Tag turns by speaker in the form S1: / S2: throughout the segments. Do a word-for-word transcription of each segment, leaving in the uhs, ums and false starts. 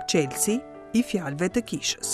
S1: Çelësi i fjalëve të kishës.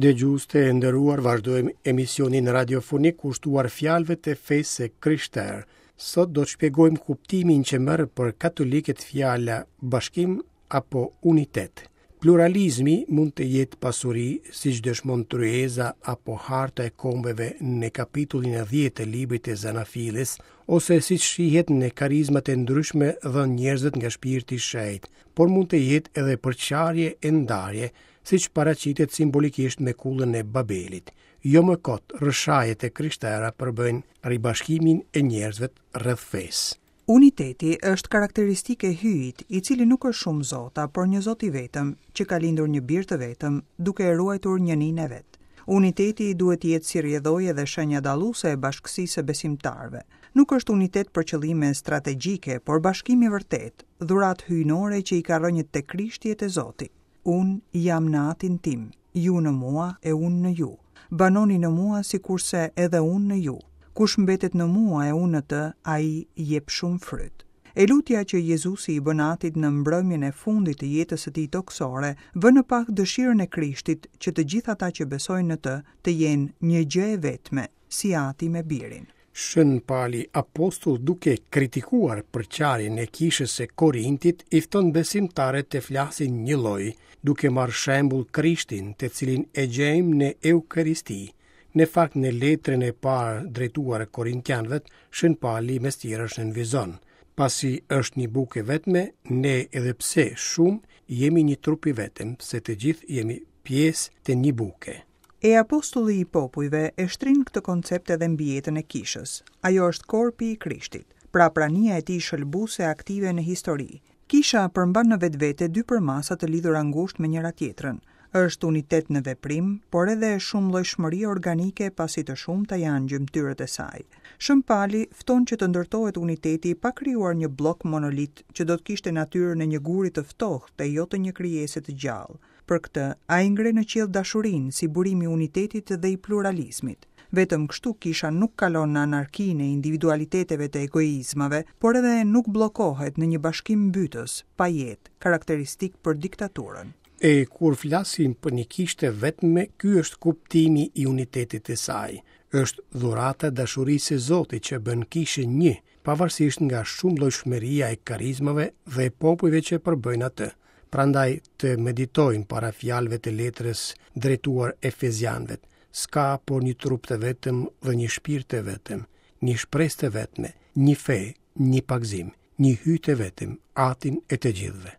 S2: Dëgjues të nderuar, vazhdojmë emisionin radiofonik kushtuar fjalëve të fesë së krishterë. Sot do të shpjegojmë kuptimin që merr për katolikët fjala bashkim apo unitet. Pluralizmi mund të jetë pasuri, siç dëshmon tryeza apo harta e kombeve në kapitullin e dhjetë të librit të Zanafillës, ose siç shihet në karizmat e ndryshme dhënë njerëzve nga shpirti i shenjtë, por mund të jetë edhe përçarje e ndarje, siç paraqitet simbolikisht me kullën e Babelit. Jo më kot, rrëshajet e krishtera përbëjnë ribashkimin e njerëzve rreth fesë.
S1: Uniteti është karakteristikë e Hyjit, i cili nuk është shumë zota, por një zot i vetëm, që ka lindur një bir të vetëm, duke e ruajtur njëninë e vet. Uniteti duhet të jetë si rrjedhojë dhe shenja dalluese e bashkësisë së besimtarëve. Nuk është unitet për qëllime strategjike, por bashkim i vërtetë, dhuratë hyjnore që i ka rrënjët te Krishti e te Zoti. Unë jam në atin tim, ju në mua e unë në ju. Banoni në mua sikurse edhe unë në ju. Kush mbetet në mua e unë në të, ai jep shumë fryt. E lutja që Jezusi i bën atit në mbrëmjen e fundit të jetës së tij tokësore, vë në pah dëshirën e Krishtit që të gjithë ata që besojnë në të të jenë një gjë e vetme, si ati me birin.
S2: Shën Pali Apostull, duke kritikuar përçarjen e kishës së Korintit, i fton besimtarët të flasin njëlloj, duke marrë shembull Krishtin, të cilin e gjejmë në Eukaristi. Në fakt, në letrën e parë drejtuar Korintianëve, Shën Pali mes tjerash nënvizon: pasi është një bukë e vetme, ne edhe pse shumë jemi një trup i vetëm, se të gjithë jemi pjesë të një buke.
S1: E apostulli i popujve e shtrin këtë koncept edhe mbi jetën e kishës. Ajo është korpi i Krishtit, pra prania e tij shëlbuese aktive në histori. Kisha përmban në vetvete dy përmasa të lidhura ngushtë me njëra tjetrën. Është unitet në veprim, por edhe shumëllojshmëri organike, pasi të shumta janë gjymtyrët e saj. Shën Pali fton që të ndërtohet uniteti pa krijuar një bllok monolit që do të kishte natyrën e një guri të ftohtë e jo të një krijese të gjallë. Për këtë, ai ngre në qiell dashurinë si burimi i unitetit dhe i pluralizmit. Vetëm kështu kisha nuk kalon në anarkinë e individualiteteve të egoizmave, por edhe nuk bllokohet në një bashkim mbytës, pa jetë, karakteristik për diktaturën.
S2: E kur flasim për një kishë të vetme, ky është kuptimi i unitetit të saj. Është dhurata e dashurisë së Zotit që bën kishën një, pavarësisht nga shumëllojshmëria e karizmave dhe popujve që përbëjnë atë. Prandaj të meditojmë para fjalëve të letrës drejtuar Efezianëve. S'ka por një trup të vetëm dhe një shpirt të vetëm, një shpresë të vetme, një fe, një pagëzim, një Hyj të vetëm, Atin e të gjithëve.